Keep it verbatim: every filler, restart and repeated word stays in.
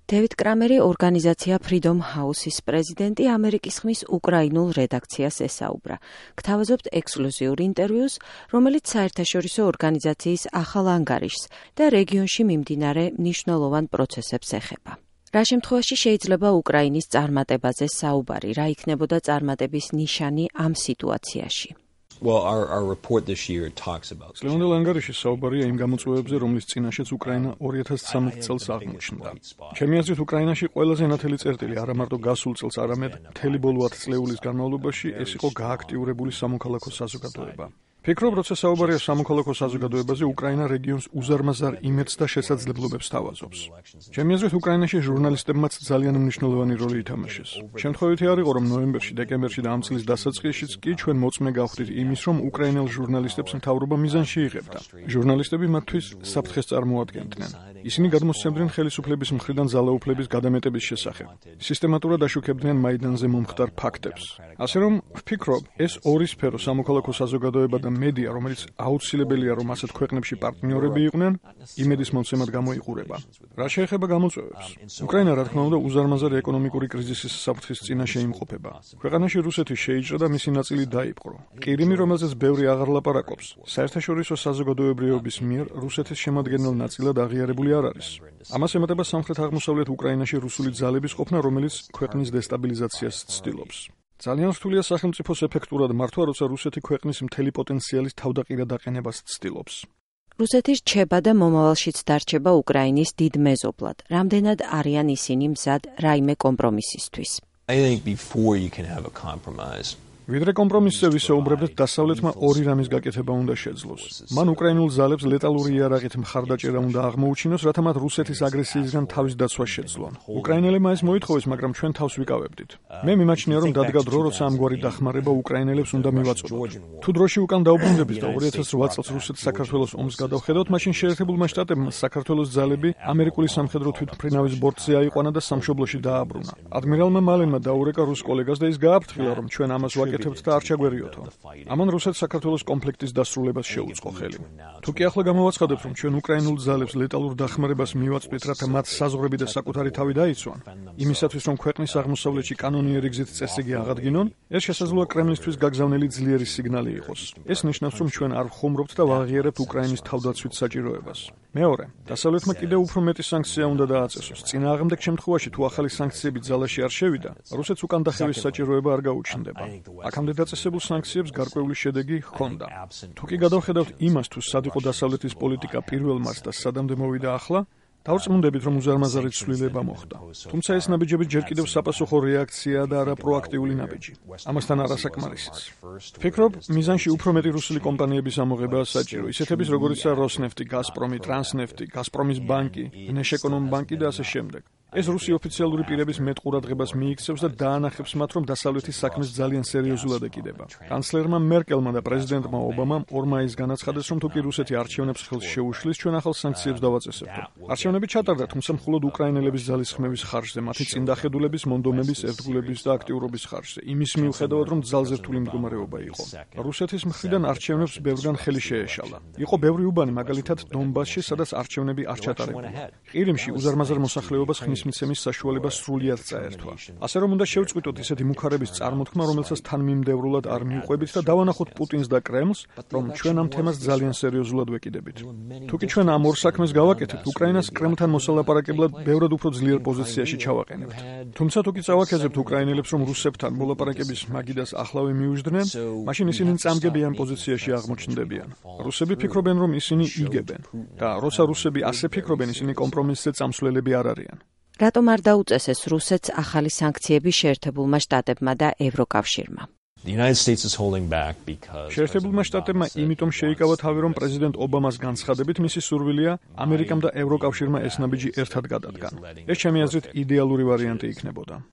დევიდ კრამერი ორგანიზაცია Freedom House-ის პრეზიდენტი ამერიკის ხმის უკრაინულ რედაქციას ესაუბრა. გთავაზობთ ექსკლუზიურ ინტერვიუს, რომელიც საერთაშორისო ორგანიზაციის ახალ ანგარიშს და რეგიონში მიმდინარე მნიშვნელოვან პროცესებს ეხება. რა შემთხვევაში შეიძლება უკრაინის წარმატებაზე საუბარი, რა იქნებოდა წარმატების ნიშანი ამ სიტუაციაში? Well, our, our report this year talks about. Სლევანდელ ანგარიში საუბარია იმ გამოწვევებზე, რომლის წინაშეც უკრაინა ორი ათას ცხრამეტ წელს აღმოჩნდა. ჩემი აზრით, უკრაინაში ყველაზე ნათელი წერტილი არა მარტო გასულ წელს, არამედ მთელი ბოლო ათ წლეულის განმავლობაში ეს იყო გააქტიურებული სამოქალაქო საზოგადოება. ფიქრობ, როცა საუბარია სამოქალაქო საზოგადოებაზე, უკრაინა რეგიონს უზარმაზარ იმედს და შესაძლებლობებს თავაზობს. ჩემი აზრით, უკრაინაში ჟურნალისტებმაც ძალიან მნიშვნელოვანი როლი ითამაშეს. შემთხვევითი არ იყო, რომ ნოემბერში, დეკემბერში და ამ წლის დასაწყისშიც კი ჩვენ მოწმე გავხდით იმის, რომ უკრაინელ ჟურნალისტებს მთავრობა მიზანში იღებდა. ჟურნალისტები მათთვის საფრთხეს წარმოადგენდნენ. ისინი გადმოსცემდნენ ხელისუფლების მხრიდან ძალაუფლების გადამეტების შესახებ. სისტემატურად აშუქებდნენ მაიდანზე მომხდარ ფაქტებს. ასე რომ, ვფიქრობ, ეს ორი სფერო სამოქალაქო საზოგადოება და მედია, რომელიც აუცილებელია, რომ ასეთ ქვეყნებში პარტნიორები იყვნენ, იმედის მომცემად გამოიყურება. რა შეეხება გამოწვევებს? უკრაინა, რა თქმა უნდა, უზარმაზარი ეკონომიკური კრიზისის საფრთხის წინაშე იმყოფება. ქვეყანაში რუსეთი შეიჭრა და მისი ნაწილი დაიპყრო. ყირიმი, რომელზეც ბევრი აღარ ლაპარაკობს, საერთაშორისო საზოგადოებრიობის მიერ რუსეთის შემადგენელ ნაწილად აღიარებული არ არის. ამას ემატება სამხრეთ-აღმოსავლეთ უკრაინაში რუსული ძალების ყოფნა, რომელიც ქვეყნის დესტაბილიზაციას ცდილობს. ძალიან რთულია სახელმწიფოს ეფექტურად მართვა, როცა რუსეთი ქვეყნის მთელი პოტენციალის თავდაყირად აყენებას ცდილობს. რუსეთი რჩება და მომავალშიც დარჩება უკრაინის დიდ მეზობლად. რამდენად არიან ისინი მზად რაიმე კომპრომისისთვის? I think before you can have a compromise. ვიდრე კომპრომისზე ვისაუბრებთ, დასავლეთმა ორი რამის გაკეთება უნდა შეძლოს. მან უკრაინულ ძალებს ლეტალური იარაღით მხარდაჭერა უნდა აღმოუჩინოს, რათა მათ რუსეთის აგრესიისგან თავის დაცვა შეძლონ. უკრაინელებმა ეს მოითხოვეს, მაგრამ ჩვენ თავს ვიკავებდით. მე მიმაჩნია, რომ დადგა დრო, როცა ამგვარი დახმარება უკრაინელებს უნდა მივაწოდოთ. თუ დროში უკან დაუბრუნდებით და ორი ათას რვა წელს რუსეთს საქართველოს ომს გადავხედოთ, მაშინ შეერთებულმა შტატებმა საქართველოს ძალები ამერიკული სამხედრო თვითმფრინავის ბორტზე აიყვანა და სამშობლოში დააბრუნა. ადმირალმა მალენმა დაურეკა რუს კოლეგას და ის გააფრთხილა, რომ ჩვენ ამას აკეთებთ და არ ჩაგვერიოთო. ამან რუსეთს საქართველოს კონფლიქტის დასრულებას შეუწყო ხელი. თუ კი ახლა გამოვაცხადებთ, რომ ჩვენ უკრაინულ ძალებს ლეტალურ დახმარებას მივაწვდით, რათა მათ საზღვრები და საკუთარი თავი დაიცვან, იმისათვის, რომ ქვეყნის აღმოსავლეთში კანონიერი გზით წესრიგი აღადგინონ, ეს შესაძლოა კრემლისთვის გაგზავნილი ძლიერი სიგნალი იყოს. ეს ნიშნავს, რომ ჩვენ არ ვხუმრობთ და ვაღიარებთ უკრაინის თავდაცვით საჭიროებას. მეორე, დასავლეთმა კიდევ უფრო მეტი სანქცია უნდა დააწესოს. წინააღმდეგ შემთხვევაში, თუ ახალი სანქციები ძალაში არ შევიდა, რუსეთს უკან დახევის საჭიროება არ გაუჩნდება. აქამდე დაწესებულ სანქციებს გარკვეული შედეგი ჰქონდა. თუ კი გადავხედავთ იმას, თუ სად იყო დასავლეთის პოლიტიკა პირველ მარს და სადამდე მოვიდა ახლა, დავწმუნდებით, რომ უზარმაზარი ცვლილება მოხდა. თუმცა ეს ნაბიჯები ჯერ კიდევ საპასუხო რეაქციაა და არა პროაქტიული ნაბიჯი. ამასთან არასაკმარისიც. ვფიქრობ, მიზანში უფრო მეტი რუსული კომპანიების ამოღებაა საჭირო, ისეთების როგორიცაა როსნეფტი, გაზპრომი, ტრანსნეფტი, გაზპრომის ბანკი, ნეშეკონომ ბანკი და ასე შემდეგ. ეს რუსი ოფიციალური პირების მეტ ყურადღებას მიიქცევს და დაანახებს მათ, რომ დასავლეთის საქმეს ძალიან სერიოზულად ეკიდება. კანცლერმა მერკელმა და პრეზიდენტმა ობამამ ორ მაისს განაცხადეს, რომ თუ კი რუსეთი არჩევნებს ხელს შეუშლის, ჩვენ ახალ სანქციებს დავაწესებთ. არჩევნები ჩატარდა, თუმცა მხოლოდ უკრაინელების ძალისხმევის ხარჯზე, მათი წინდახედულების, მონდომების, ერთგულების და აქტიურობის ხარჯზე, იმის მიუხედავად, რომ ძალზე რთული მდგომარეობა იყო. რუსეთის მხრიდან არჩევნებს ბევრგან ხელი შეეშალა. იყო ბევრი უბანი, მაგალითად დონბასში, სადაც არჩევნები არ ჩატარებულა. ყირიმში უზარმაზარ მოსახლეობას ხმის მიცემის საშუალება სრულიად წაერთვა. ასე რომ უნდა შევწყვიტოთ ისეთი მუქარების წარმოთქმა, რომელსაც თანმიმდევრულად არ მიუყვებით და დავანახოთ პუტინს და კრემლს, რომ ჩვენ ამ თემას ძალიან სერიოზულად ვეკიდებით. თუ კი ჩვენ ამ ორ საქმეს გავაკეთებთ, უკრაინას კრემლთან მოსალაპარაკებლად ბევრად უფრო ძლიერ პოზიციაში ჩავაყენებთ. თუმცა თუ კი წავაქეზებთ უკრაინელებს, რომ რუსებთან მოლაპარაკების მაგიდას ახლავე მიუждდნენ, მაშინ ისინი წამგებიან პოზიციაში აღმოჩნდებიან. რუსები ფიქრობენ, რომ ისინი იგებენ და როცა რუსები ასე ფიქრობენ, ისინი კომპრომისზე წამსვლელები არ არიან. რატომ არ დაუწესეს რუსეთს ახალი სანქციები შეერთებულმა შტატებმა და ევროკავშირმა? შეერთებულმა შტატებმა იმიტომ შეიკავა თავი, რომ პრეზიდენტ ობამას განცხადებით მისი სურვილია ამერიკამ და ევროკავშირმა ეს ნაბიჯი ერთად გადადგან. ეს ჩემი აზრით იდეალური ვარიანტი იქნებოდა.